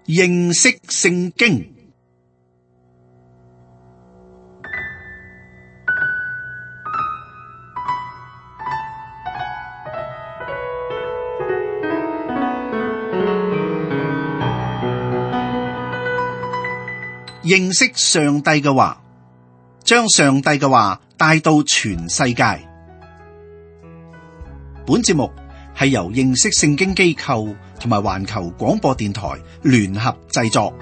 認識聖經。認識上帝嘅話，將上帝嘅話帶到全世界。本節目係由認識聖經機構同埋環球廣播電台聯合製作。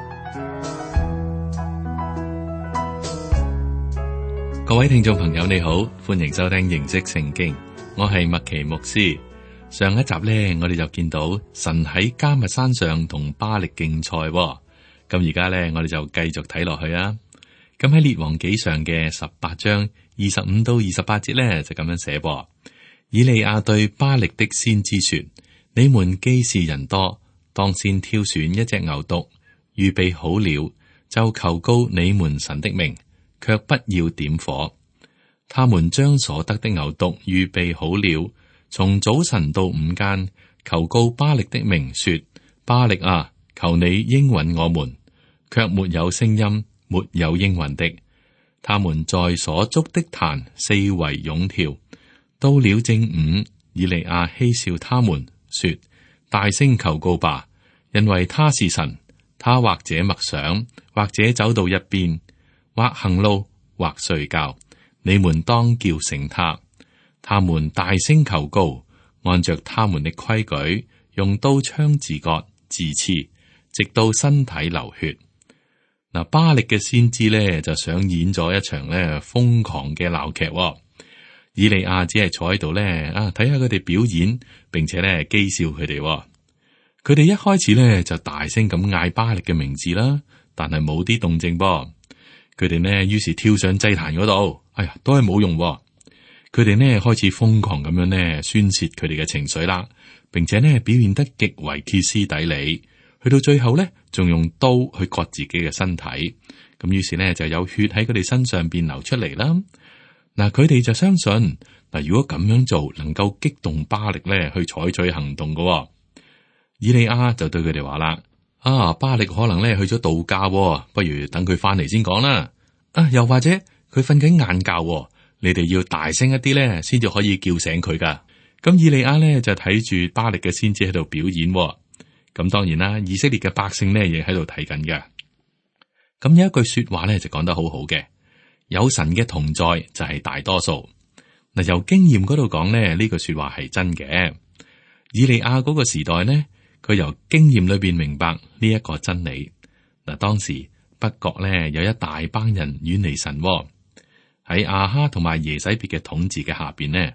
各位聽眾朋友你好，歡迎收聽認識聖經，我係麥奇牧師。上一集呢，我哋就見到神喺迦密山上同巴力競賽。咁而家咧，我哋就繼續睇落去啊！咁喺列王紀上嘅18章25到28節咧，就咁樣寫噃。以利亞對巴力的先知說：你們既是人多，當先挑選一隻牛犢，預備好了，就求告你們神的名，卻不要點火。他們將所得的牛犢預備好了，從早晨到午間，求告巴力的名，說：巴力啊，求你應允我們。卻沒有聲音，沒有應允的。他們在所築的壇四圍湧跳。到了正午，以利亞嬉笑他們，說：大聲求告吧，因為他是神。他或者默想，或者走到一邊，或行路，或睡覺。你們當叫醒他。他們大聲求告，按着他們的規矩，用刀槍自割自刺，直到身體流血。嗱，巴力嘅先知咧就上演咗一場咧瘋狂嘅鬧劇。以利亞只係坐喺度咧睇下佢哋表演，並且咧譏笑佢哋。佢哋一開始咧就大聲咁嗌巴力嘅名字啦，但係冇啲動靜噃。佢哋呢於是跳上祭壇嗰度，都係冇用。佢哋呢開始瘋狂咁樣呢宣洩佢哋嘅情緒啦，並且呢表現得極為歇斯底里。去到最後咧，仲用刀去割自己嘅身體，咁於是呢就有血喺佢哋身上邊流出嚟啦。嗱，佢哋就相信嗱，如果咁樣做能夠激動巴力咧去採取行動嘅。以利亞就對佢哋話啦：巴力可能咧去咗度假，不如等佢翻嚟先講啦。又或者佢瞓緊晏覺，你哋要大聲一啲咧，先至可以叫醒佢噶。咁以利亞咧就睇住巴力嘅先知喺度表演。咁當然啦，以色列嘅百姓呢亦喺度睇緊嘅。咁有一句說話咧就講得好好嘅，有神嘅同在就係大多數。嗱，由經驗嗰度講呢，呢句說話係真嘅。以利亞嗰個時代呢，佢由經驗裏邊明白呢一個真理。嗱，當時北國呢有一大班人遠離神，喺亞哈同埋耶洗別嘅統治嘅下邊呢，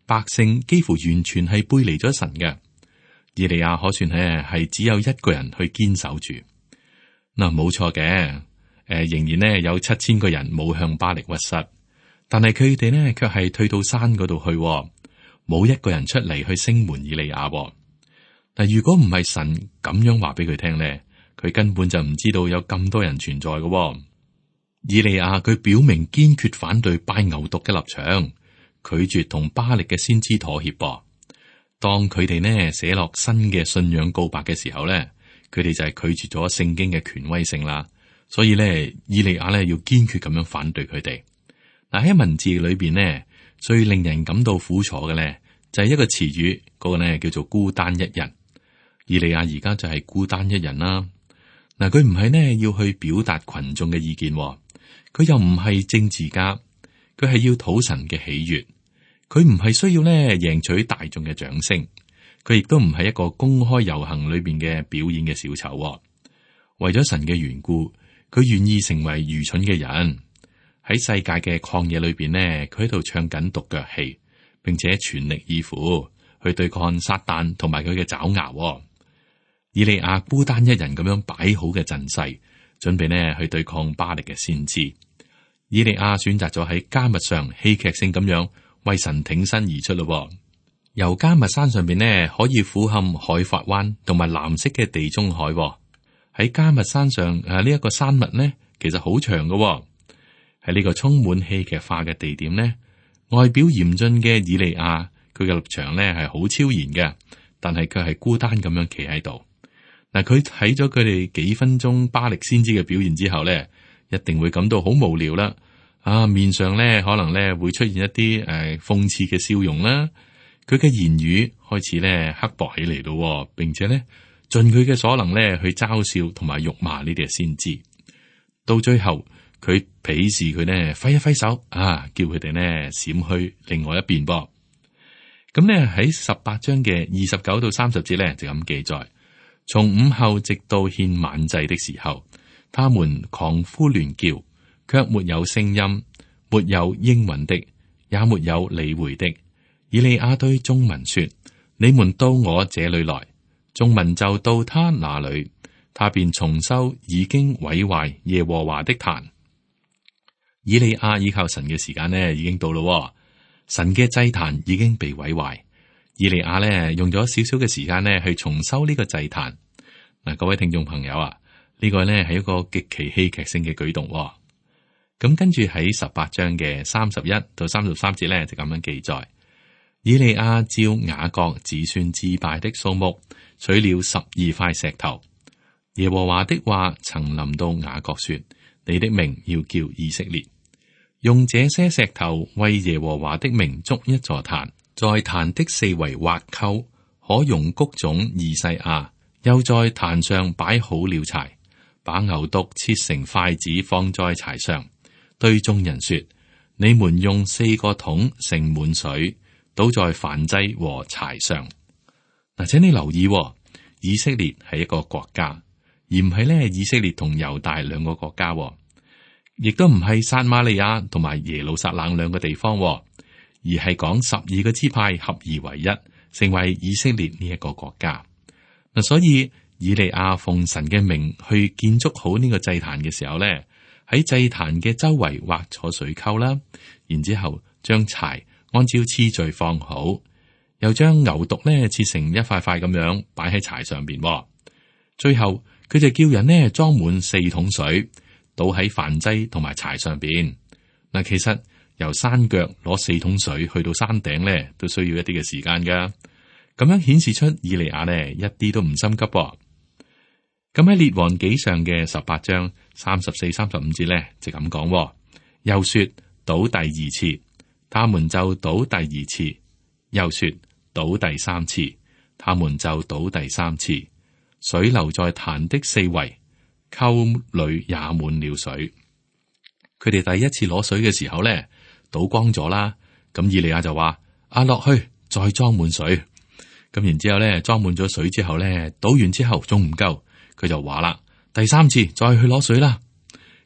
百姓幾乎完全係背離咗神嘅。以利亞可算係只有一個人去堅守住。嗱，冇錯嘅，仍然呢有7000個人冇向巴力屈膝，但係佢哋呢卻係退到山嗰度去，冇一個人出嚟去聲援以利亞。但如果唔係神咁樣話俾佢聽呢，佢根本就唔知道有咁多人存在嘅。以利亞佢表明堅決反對拜牛犢嘅立場，拒絕同巴力嘅先知妥協噃。當佢哋呢寫落新嘅信仰告白嘅時候呢，佢哋就係拒絕咗聖經嘅權威性啦。所以呢，以利亞呢要堅決咁樣反對佢哋。嗱，喺文字裏邊呢，最令人感到苦楚嘅呢，就係一個詞語，嗰個呢叫做孤單一人。以利亞而家就係孤單一人啦。嗱，佢唔係呢要去表達群眾嘅意見，佢又唔係政治家，佢係要討神嘅喜悅。佢唔係需要咧贏取大眾嘅掌聲，佢亦都唔係一個公開遊行裏邊嘅表演嘅小丑。為咗神嘅緣故，佢願意成為愚蠢嘅人。喺世界嘅曠野裏邊呢，佢喺度唱緊獨腳戲，並且全力以赴去對抗撒旦同埋佢嘅爪牙。以利亞孤單一人咁樣擺好嘅陣勢，準備呢去對抗巴力嘅先知。以利亞選擇咗喺迦密上戲劇性咁樣為神挺身而出咯。由迦密山上邊呢，可以俯瞰海法灣同埋藍色嘅地中海。喺迦密山上呢一個山脈呢，其實好長嘅。喺呢個充滿戲劇化嘅地點呢，外表嚴峻嘅以利亞，佢嘅立場呢係好超然嘅，但係佢係孤單咁樣企喺度。嗱，佢睇咗佢哋幾分鐘巴力先知嘅表現之後咧，一定會感到好無聊啦。面上咧可能咧會出現一啲諷刺嘅笑容啦。佢嘅言語開始咧刻薄起嚟咯，並且咧盡佢嘅所能咧去嘲笑同埋辱罵呢啲嘅先知。到最後，佢鄙視佢呢，揮一揮手叫佢哋呢閃去另外一邊噃。咁咧喺18章嘅29到30節咧就咁記載：從午後直到獻晚祭的時候，他們狂呼亂叫，卻沒有聲音，沒有應允的，也沒有理會的。以利亞對眾民說：你們到我這裏來。眾民就到他那裏，他便重修已經毀壞耶和華的壇。以利亞依靠神嘅時間呢已經到咯，神嘅祭壇已經被毀壞。以利亞呢用咗少少嘅時間呢去重修呢個祭壇。嗱，各位聽眾朋友啊，呢個呢係一個極其戲劇性嘅舉動。咁跟住喺18章嘅31到33節呢就咁樣記載：以利亞照雅各子孫支派的數目取了12塊石頭。耶和華的話曾臨到雅各說：你的名要叫以色列。用這些石頭為耶和華的名築一座壇，在壇的四圍挖溝，可容穀種2細亞。又在壇上擺好了柴，把牛犢切成塊子放在柴上，對眾人說：你們用4個桶盛滿水，倒在燔祭和柴上。嗱，請你留意，以色列係一個國家，而唔係咧以色列同猶大兩個國家，亦都唔係撒瑪利亞同埋耶路撒冷兩個地方，而係講12個支派合而為一，成為以色列呢一個國家。嗱，所以以利亞奉神嘅名去建築好呢個祭壇嘅時候咧，喺祭壇嘅周圍挖咗水溝啦，然之後將柴按照次序放好，又將牛犢咧切成一塊塊咁樣擺喺柴上邊。最後佢就叫人呢裝滿4桶水，倒喺燔祭同埋柴上邊。嗱，其實由山腳攞4桶水去到山頂咧，都需要一啲嘅時間噶。咁樣顯示出以利亞呢一啲都唔心急。咁喺列王紀上嘅18章34、35節咧就咁講，又說倒第2次，他們就倒第2次；又說倒第3次，他們就倒第3次。水流在壇的四圍，溝裏也滿了水。佢哋第一次攞水嘅時候咧，倒光咗啦。咁以利亞就話：落去再裝滿水。咁然之後咧，裝滿咗水之後咧，倒完之後仲唔夠，佢就話啦：第3次再去攞水啦。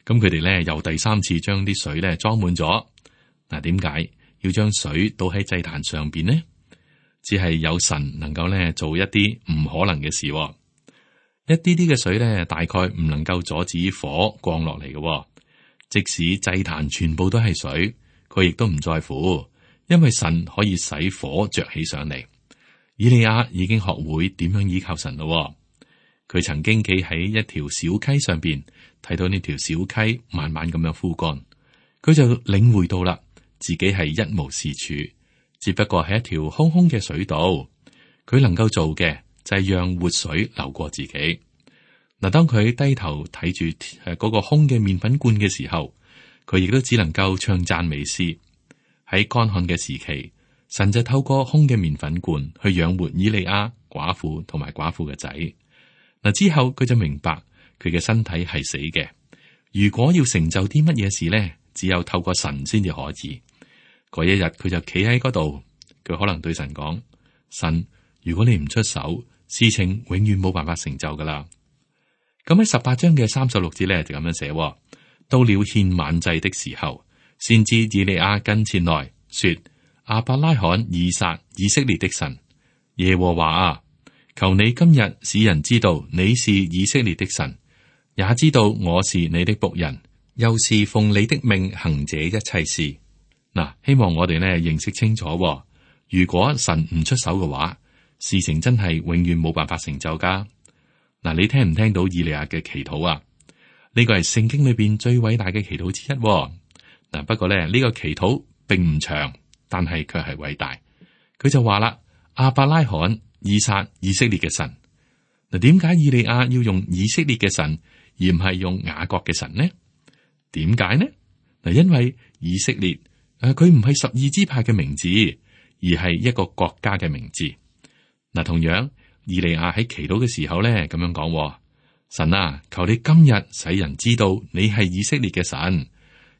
咁佢哋咧又第3次將啲水咧裝滿咗。嗱，點解要將水倒喺祭壇上邊呢？只係有神能夠咧做一啲唔可能嘅事。一啲啲嘅水咧，大概唔能夠阻止火降落嚟嘅。即使祭壇全部都係水，佢亦都唔在乎，因為神可以使火着起上嚟。以利亞已經學會點樣依靠神咯。佢曾經企喺一條小溪上邊，睇到呢條小溪慢慢咁樣枯乾，佢就領會到啦，自己係一無是處，只不過係一條空空嘅水道。佢能夠做嘅就係讓活水流過自己。嗱，當佢低頭睇住嗰個空嘅麵粉罐嘅時候，佢亦都只能夠唱讚美詩。喺乾旱嘅時期，神就透過空嘅麵粉罐去養活以利亞寡婦同埋寡婦嘅仔。嗱，之後佢就明白佢嘅身體係死嘅。如果要成就啲乜嘢事呢，只有透過神先至可以。嗰一日佢就企喺嗰度，佢可能對神講：神，如果你唔出手，事情永遠冇辦法成就噶啦。咁喺18章嘅36節咧就咁樣寫：到了獻晚祭的時候，先知以利亞跟前來說：亞伯拉罕、以撒、以色列的神耶和華啊，求你今日使人知道你是以色列的神，也知道我是你的僕人，又是奉你的命行這一切事。嗱，希望我哋呢認識清楚，如果神唔出手嘅話，事情真係永遠冇辦法成就噶。嗱，你聽唔聽到以利亞嘅祈禱啊？呢個係聖經裏邊最偉大嘅祈禱之一。嗱，不過咧呢個祈禱並唔長，但係卻係偉大。佢就話啦：亞伯拉罕、以撒、以色列嘅神。嗱，點解以利亞要用以色列嘅神，而唔係用雅各嘅神呢？點解呢？嗱，因為以色列佢唔係12支派嘅名字，而係一個國家嘅名字。嗱，同樣以利亞喺祈禱嘅時候咧，咁樣講：神啊，求你今日使人知道你係以色列嘅神，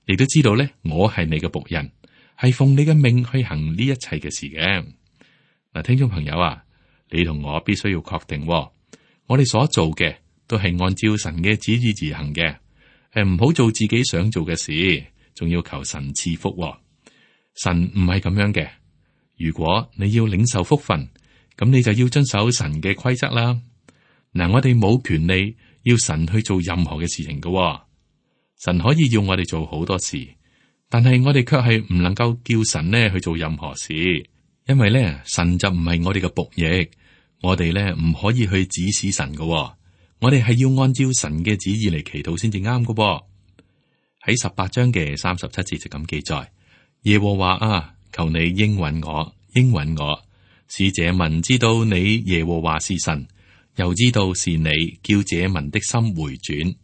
亦都知道咧我係你嘅僕人，係奉你嘅命去行呢一切嘅事嘅。嗱，聽眾朋友啊，你同我必須要確定，我哋所做嘅都係按照神嘅旨意而行嘅。唔好做自己想做嘅事，仲要求神賜福。神唔係咁樣嘅。如果你要領受福分，咁你就要遵守神嘅規則啦。嗱，我哋冇權利要神去做任何嘅事情嘅。神可以要我哋做好多事，但係我哋卻係唔能夠叫神呢去做任何事，因為咧神就唔係我哋嘅僕役，我哋咧唔可以去指使神嘅。我哋係要按照神嘅旨意嚟祈禱先至啱嘅。喺18章嘅37節就咁記載：耶和華啊，求你應允我，應允我，使這民知道你耶和華是神，又知道是你叫這民的心回轉。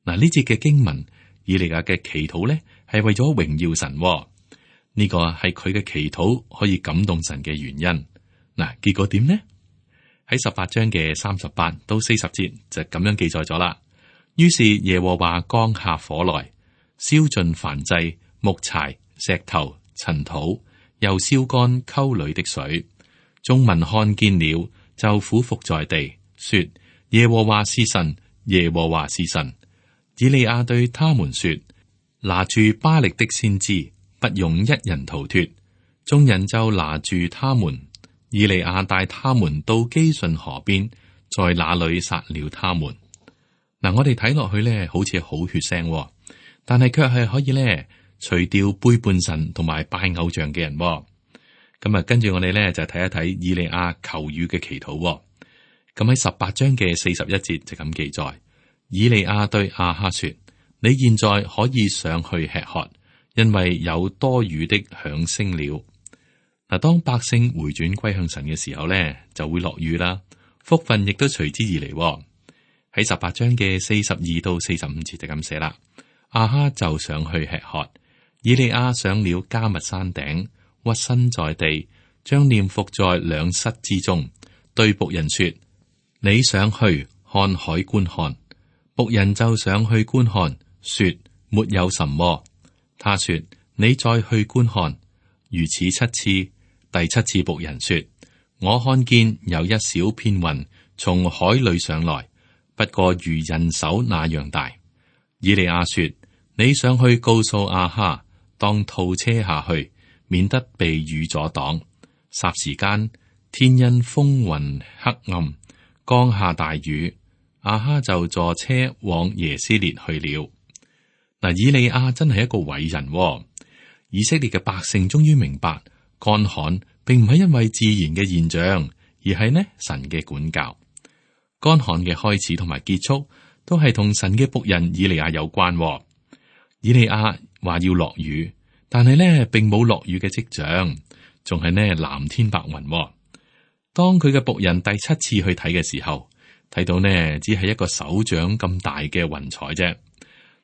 嗱，呢節嘅經文，以利亞嘅祈禱咧係為咗榮耀神。呢個係佢嘅祈禱可以感動神嘅原因。嗱，結果點呢？喺18章嘅38到40節就咁樣記載咗啦。於是耶和華降下火來，燒盡燔祭、木柴、石頭、塵土，又燒乾溝裏的水。眾民看見了，就俯伏在地，說：耶和華是神，耶和華是神。以利亞對他們說：拿住巴力的先知，不容一人逃脫。眾人就拿住他們。以利亞帶他們到基順河邊，在那裏殺了他們。嗱，我哋睇落去咧，好似好血腥，但係卻係可以咧除掉背叛神同埋拜偶像嘅人。咁啊，跟住我哋咧就睇一睇以利亞求雨嘅祈禱。咁喺18章嘅41節就咁記載：以利亞對亞哈說：你現在可以上去吃喝，因為有多雨的響聲了。嗱，當百姓回轉歸向神嘅時候咧，就會落雨啦，福分亦都隨之而嚟。喺18章嘅42到45節就咁寫啦。亞哈就上去吃喝，以利亞上了迦密山頂，屈身在地，將臉伏在兩膝之中，對僕人說：你上去看海觀看。僕人就上去觀看，說：沒有什麼。他說：你再去觀看。如此7次。第7次僕人說：我看見有一小片雲從海裏上來，不過如人手那樣大。以利亞說：你上去告訴亞哈，當套車下去，免得被雨阻擋。霎時間，天因風雲黑暗，降下大雨。亞哈就坐車往耶斯列去了。嗱，以利亞真係一個偉人。以色列嘅百姓終於明白，乾旱並唔係因為自然嘅現象，而係呢神嘅管教。乾旱嘅開始同埋結束都係同神嘅僕人以利亞有關。以利亞話要落雨，但係呢並冇落雨嘅跡象，仲係呢藍天白雲。當佢嘅僕人第7次去睇嘅時候，睇到呢只係一個手掌咁大嘅雲彩啫。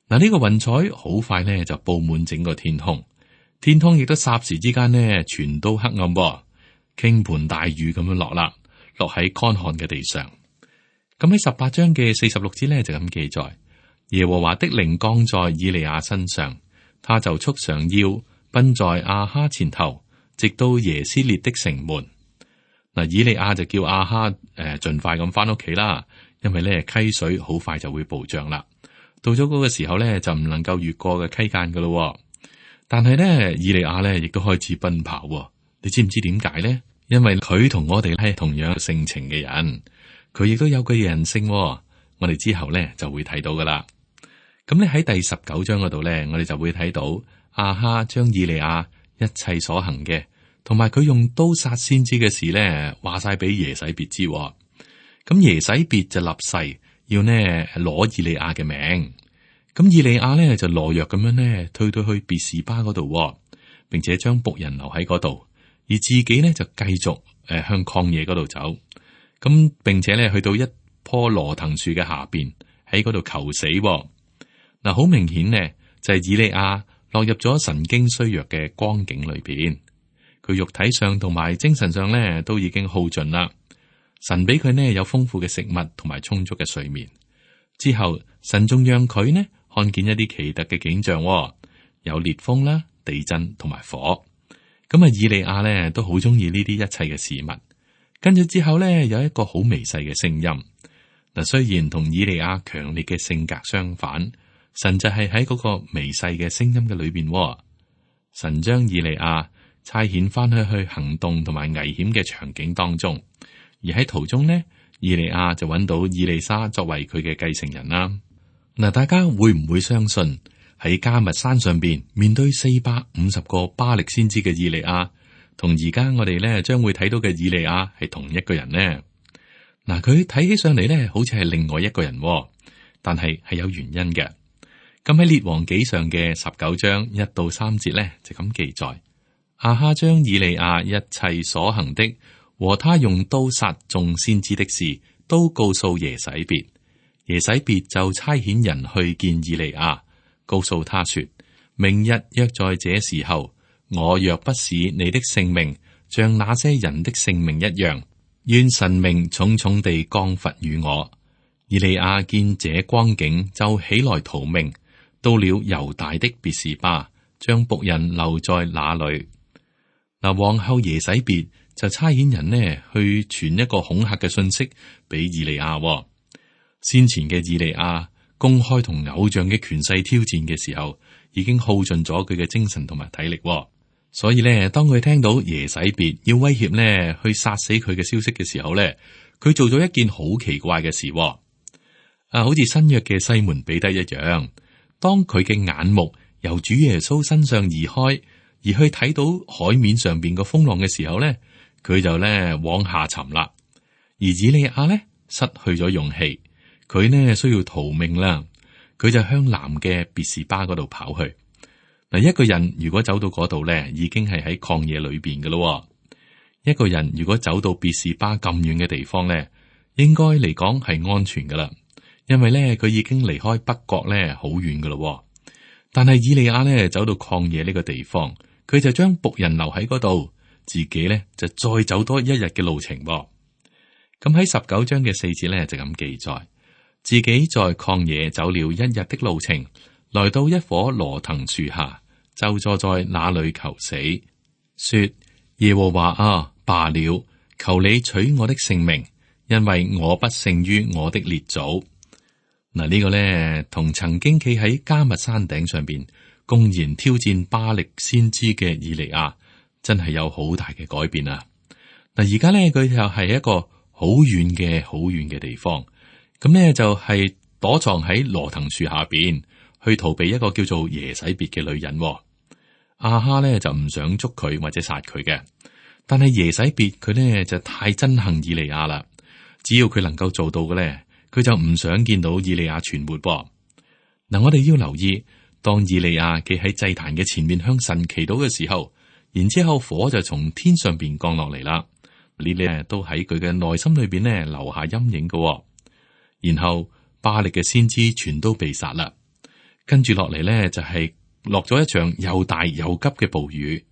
嗱，呢個雲彩好快呢就布滿整個天空。天空亦都霎時之間呢，全都黑暗，傾盆大雨咁樣落啦，落喺乾旱嘅地上。咁喺18章嘅46節呢，就咁記載：耶和華的靈降在以利亞身上，他就束上腰，奔在亞哈前頭，直到耶斯列的城門。嗱，以利亞就叫亞哈盡快咁翻屋企啦，因為咧溪水好快就會暴漲啦。到咗嗰個時候咧，就唔能夠越過嘅溪澗噶咯。但係咧，以利亞咧亦都開始奔跑。你知唔知點解咧？因為佢同我哋係同樣性情嘅人，佢亦都有佢嘅人性。我哋之後咧就會睇到噶啦。咁咧喺第19章嗰度咧，我哋就會睇到亞哈將以利亞一切所行嘅，同埋佢用刀殺先知嘅事咧，話晒俾耶洗別知。咁耶洗別就立誓要呢攞以利亞嘅命。咁以利亞咧就懦弱咁樣咧退到去別是巴嗰度，並且將僕人留喺嗰度，而自己咧就繼續向曠野嗰度走。咁並且咧去到一棵羅藤樹嘅下邊喺嗰度求死。嗱，好明顯呢，就係以利亞落入咗神經衰弱嘅光景裏邊，佢肉體上同埋精神上呢都已經耗盡啦。神俾佢呢有豐富嘅食物同埋充足嘅睡眠，之後神仲讓佢呢看見一啲奇特嘅景象，有烈風啦、地震同埋火。咁啊，以利亞呢都好中意呢啲一切嘅事物。跟住之後呢，有一個好微細嘅聲音。嗱，雖然同以利亞強烈嘅性格相反，神就係喺嗰個微細嘅聲音嘅裏邊。神將以利亞差遣翻去行動同埋危險嘅場景當中，而喺途中呢，以利亞就揾到以利沙作為佢嘅繼承人啦。嗱，大家會唔會相信喺迦密山上邊面對450個巴力先知嘅以利亞，同而家我哋咧將會睇到嘅以利亞係同一個人呢？嗱，佢睇起上嚟咧，好似係另外一個人，但係有原因嘅。咁喺列王紀上嘅19章1到3節咧，就咁記載：亞哈將以利亞一切所行的和他用刀殺眾先知的事，都告訴耶洗別。耶洗別就差遣人去見以利亞，告訴他說：明日約在這時候，我若不使你的性命像那些人的性命一樣，願神明重重地降罰與我。以利亞見這光景，就起來逃命，到了猶大的別是巴，將僕人留在那裏。嗱，皇后耶洗別就差遣人呢去傳一個恐嚇嘅信息俾以利亞。先前嘅以利亞公開同偶像嘅權勢挑戰嘅時候，已經耗盡咗佢嘅精神同埋體力。所以咧，當佢聽到耶洗別要威脅呢去殺死佢嘅消息嘅時候咧，佢做咗一件好奇怪嘅事。好似新約嘅西門彼得一樣，當佢嘅眼目由主耶穌身上移開，而去睇到海面上邊個風浪嘅時候咧，佢就咧往下沉啦。而以利亞咧失去咗勇氣，佢呢需要逃命啦，佢就向南嘅別是巴嗰度跑去。嗱，一個人如果走到嗰度咧，已經係喺曠野裏邊嘅咯。一個人如果走到別是巴咁遠嘅地方咧，應該嚟講係安全噶啦，因為咧佢已經離開北國咧好遠噶咯。但係以利亞咧走到曠野呢個地方，佢就將僕人留喺嗰度，自己咧就再走多一日嘅路程。咁喺19章嘅4節咧就咁記載，自己在曠野走了一日的路程，來到一棵羅藤樹下，就坐在那裏求死，說：耶和華啊，罷了，求你取我的性命，因為我不勝於我的列祖。嗱，呢個咧同曾經企喺迦密山頂上邊公然挑戰巴力先知嘅以利亞，真係有好大嘅改變啊！嗱，而家咧佢又係一個好遠嘅地方，咁咧就係躲藏喺羅藤樹下邊，去逃避一個叫做耶洗別嘅女人。亞哈咧就唔想捉佢或者殺佢嘅，但係耶洗別佢咧就太憎恨以利亞啦。只要佢能夠做到嘅咧，佢就唔想見到以利亞存活。嗱，我哋要留意，當以利亞企喺祭壇嘅前面向神祈禱嘅時候，然之後火就從天上邊降落嚟啦。呢啲都喺佢嘅內心裏邊咧留下陰影嘅。然後巴力嘅先知全都被殺啦。跟住落嚟咧就係落咗一場又大又急嘅暴雨。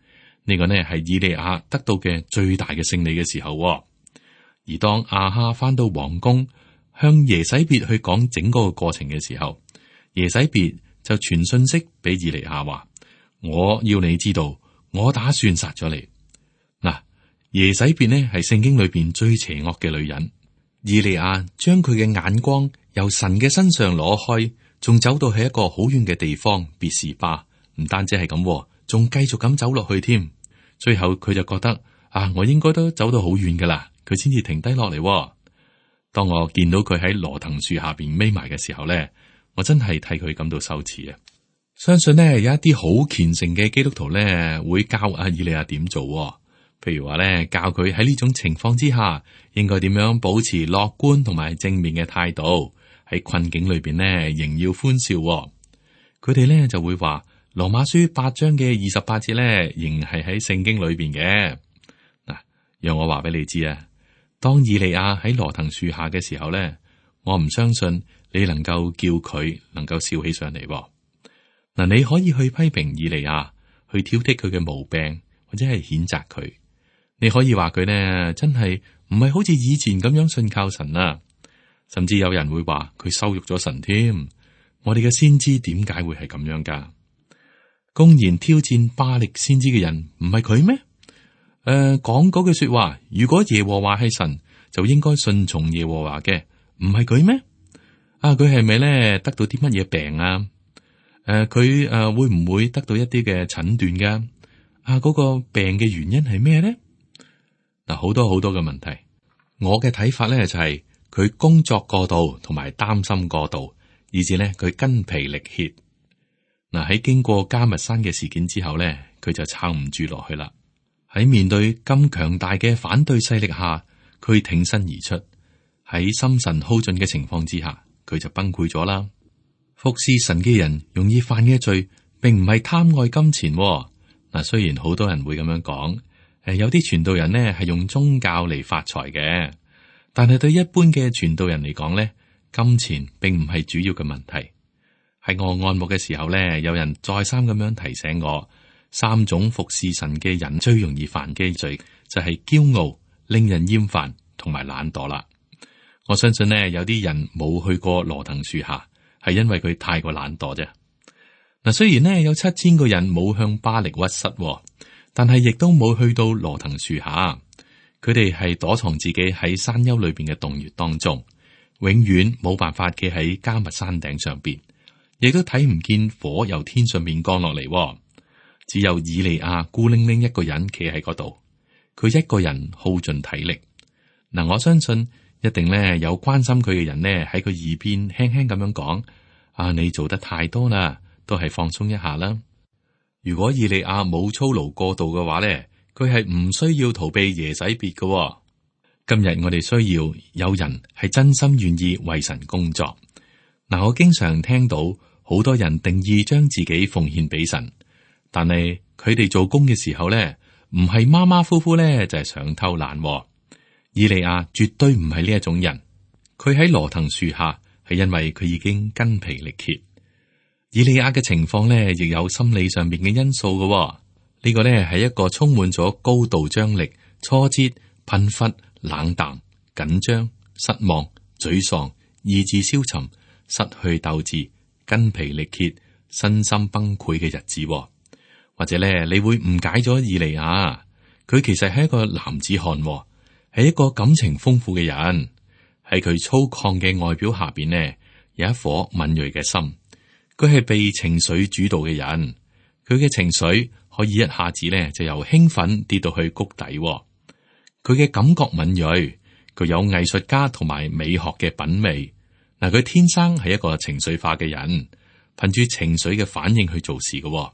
呢個呢係以利亞得到嘅最大嘅勝利嘅時候。而當亞哈翻到皇宮，向耶洗別去講整個過程嘅時候，耶洗別就傳信息俾以利亞話：我要你知道，我打算殺咗你。嗱，耶洗別呢係聖經裏邊最邪惡嘅女人。以利亞將佢嘅眼光由神嘅身上攞開，仲走到去一個好遠嘅地方別是巴，唔單止係咁，仲繼續咁走落去添。最後佢就覺得我應該都走到好遠噶啦，佢先至停低落嚟。當我見到佢喺羅藤樹下邊匿埋嘅時候咧，我真係替佢感到羞恥啊！相信呢，有一啲好虔誠嘅基督徒咧會教以利亞點做，譬如話咧教佢喺呢種情況之下應該點樣保持樂觀同埋正面嘅態度，喺困境裏邊咧仍要歡笑。佢哋咧就會話羅馬書8章嘅28節咧仍係喺聖經裏邊嘅。嗱，讓我話俾你知啊，當以利亞喺羅藤樹下嘅時候咧，我唔相信你能夠叫佢能夠笑起上嚟。嗱，你可以去批評以利亞，去挑剔佢嘅毛病，或者係譴責佢。你可以話佢呢，真係唔係好似以前咁樣信靠神啊，甚至有人會話佢羞辱咗神添。我哋嘅先知點解會係咁樣噶？公然挑戰巴力先知嘅人唔係佢咩？講嗰句說話，如果耶和華係神，就應該順從耶和華嘅，唔係佢咩？佢係咪咧得到啲乜嘢病啊？佢會唔會得到一啲嘅診斷噶？嗰個病嘅原因係咩咧？嗱，好多好多嘅問題。我嘅睇法咧就係佢工作過度，同埋擔心過度，以致咧佢筋疲力竭。嗱，喺經過迦密山嘅事件之後咧，佢就撐唔住落去啦。喺面對咁強大嘅反對勢力下，佢挺身而出。喺心神耗盡嘅情況之下，佢就崩潰咗啦。服侍神嘅人容易犯嘅罪，並唔係貪愛金錢。嗱，雖然好多人會咁樣講，有啲傳道人呢係用宗教嚟發財嘅，但係對一般嘅傳道人嚟講呢，金錢並唔係主要嘅問題。喺我按牧嘅時候呢，有人再三咁樣提醒我。3種服侍神嘅人最容易犯嘅罪就係驕傲、令人厭煩同埋懶惰啦。我相信呢，有啲人冇去過羅騰樹下，係因為佢太過懶惰啫。嗱，雖然呢有7000個人冇向巴力屈膝，但係亦都冇去到羅騰樹下。佢哋係躲藏自己喺山丘裏邊嘅洞穴當中，永遠冇辦法企喺迦密山頂上邊，亦都睇唔見火由天上面降落嚟。只有以利亞孤零零一個人企喺嗰度，佢一個人耗盡體力。嗱，我相信一定咧有關心佢嘅人呢喺佢耳邊輕輕咁樣講：你做得太多啦，都係放鬆一下啦。如果以利亞冇操勞過度嘅話咧，佢係唔需要逃避耶洗別嘅。今日我哋需要有人係真心願意為神工作。嗱，我經常聽到好多人定義將自己奉獻俾神。但係佢哋做工嘅時候咧，唔係馬馬虎虎咧，就係想偷懶。以利亞絕對唔係呢一種人，佢喺羅騰樹下係因為佢已經筋疲力竭。以利亞嘅情況咧，亦有心理上面嘅因素嘅。呢個咧係一個充滿咗高度張力、挫折、貧乏、冷淡、緊張、失望、沮喪、意志消沉、失去鬥志、筋疲力竭、身心崩潰嘅日子。或者咧，你會誤解咗以利亞，佢其實係一個男子漢，係一個感情豐富嘅人。喺佢粗獷嘅外表下邊呢，有一顆敏銳嘅心。佢係被情緒主導嘅人，佢嘅情緒可以一下子咧就由興奮跌到去谷底。佢嘅感覺敏銳，佢有藝術家同埋美學嘅品味。嗱，佢天生係一個情緒化嘅人，憑住情緒嘅反應去做事嘅。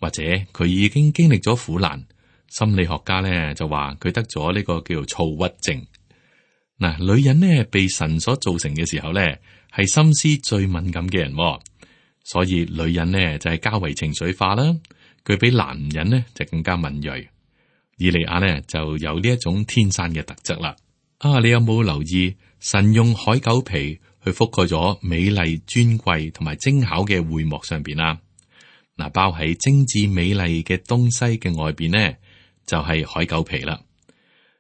或者佢已經經歷咗苦難，心理學家咧就話佢得咗呢個叫做躁鬱症。嗱，女人呢被神所造成嘅時候咧，係心思最敏感嘅人，所以女人呢就係較為情緒化啦。佢比男人呢就更加敏銳。以利亞呢就有呢一種天生嘅特質啦。你有冇留意神用海狗皮去覆蓋咗美麗尊貴同埋精巧嘅會幕上邊啊？嗱，包喺精緻美麗嘅東西嘅外邊呢，就係海狗皮啦。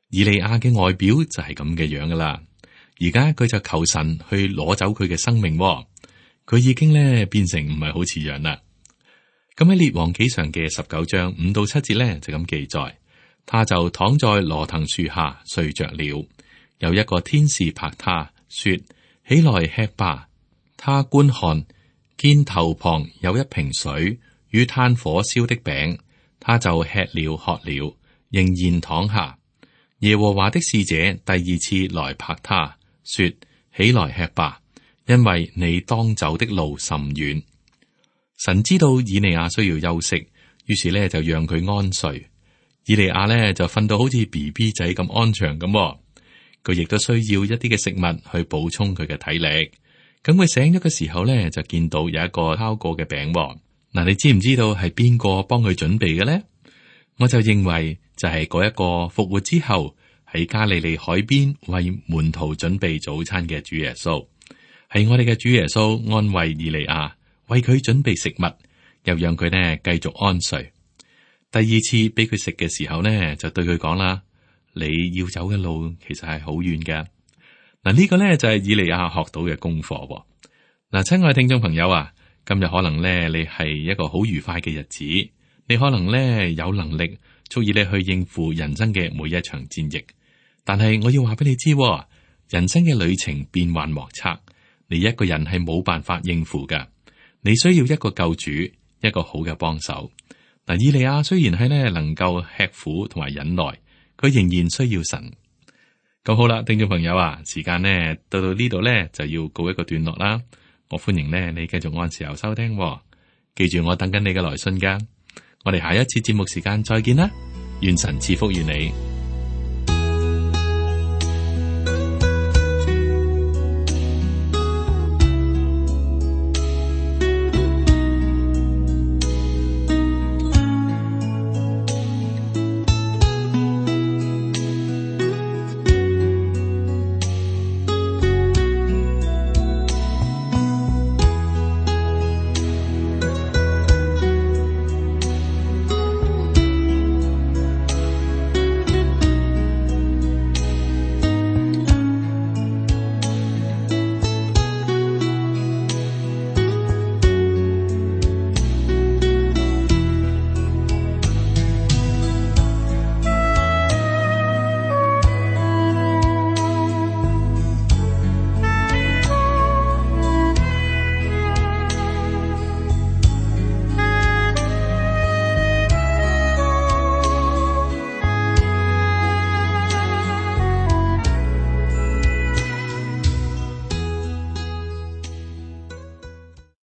以利亞嘅外表就係咁嘅樣噶啦。而家佢就求神去攞走佢嘅生命，佢已經咧變成唔係好似樣啦。咁喺列王紀上嘅19章5到7節咧就咁記載，他就躺在羅藤樹下睡着了。有一個天使拍他說：起來吃吧。他觀看，見頭旁有一瓶水與炭火燒的餅，他就吃了喝了，仍然躺下。耶和華的使者第2次來拍他說：起來吃吧，因為你當走的路甚遠。神知道以利亞需要休息，於是咧就讓佢安睡。以利亞咧就瞓到好似 BB 仔咁安詳咁，佢亦都需要一啲嘅食物去補充佢嘅體力。咁佢醒咗嘅時候咧，就見到有一個烤過嘅餅。嗱，你知唔知道係邊個幫佢準備嘅咧？我就認為就係嗰一個復活之後喺加利利海邊為門徒準備早餐嘅主耶穌，係我哋嘅主耶穌安慰以利亞，為佢準備食物，又讓佢呢繼續安睡。第二次俾佢食嘅時候呢，就對佢講啦：你要走嘅路其實係好遠嘅。嗱，呢個呢就係以利亞學到嘅功課。嗱，親愛聽眾朋友啊，今日可能呢你係一個好愉快嘅日子，你可能呢有能力足以你去應付人生嘅每一場戰役。但係我要話俾你知，人生嘅旅程變幻莫測，你一個人係冇辦法應付㗎。你需要一個救主，一個好嘅幫手。嗱，以利亞雖然係呢能夠吃苦同埋忍耐，佢仍然需要神。咁好啦，聽眾朋友啊，時間呢到呢度呢就要告一個段落啦。我歡迎呢你繼續按時候收聽，記住我等緊你嘅來信噶。我哋下一次節目時間再見啦，願神賜福於你。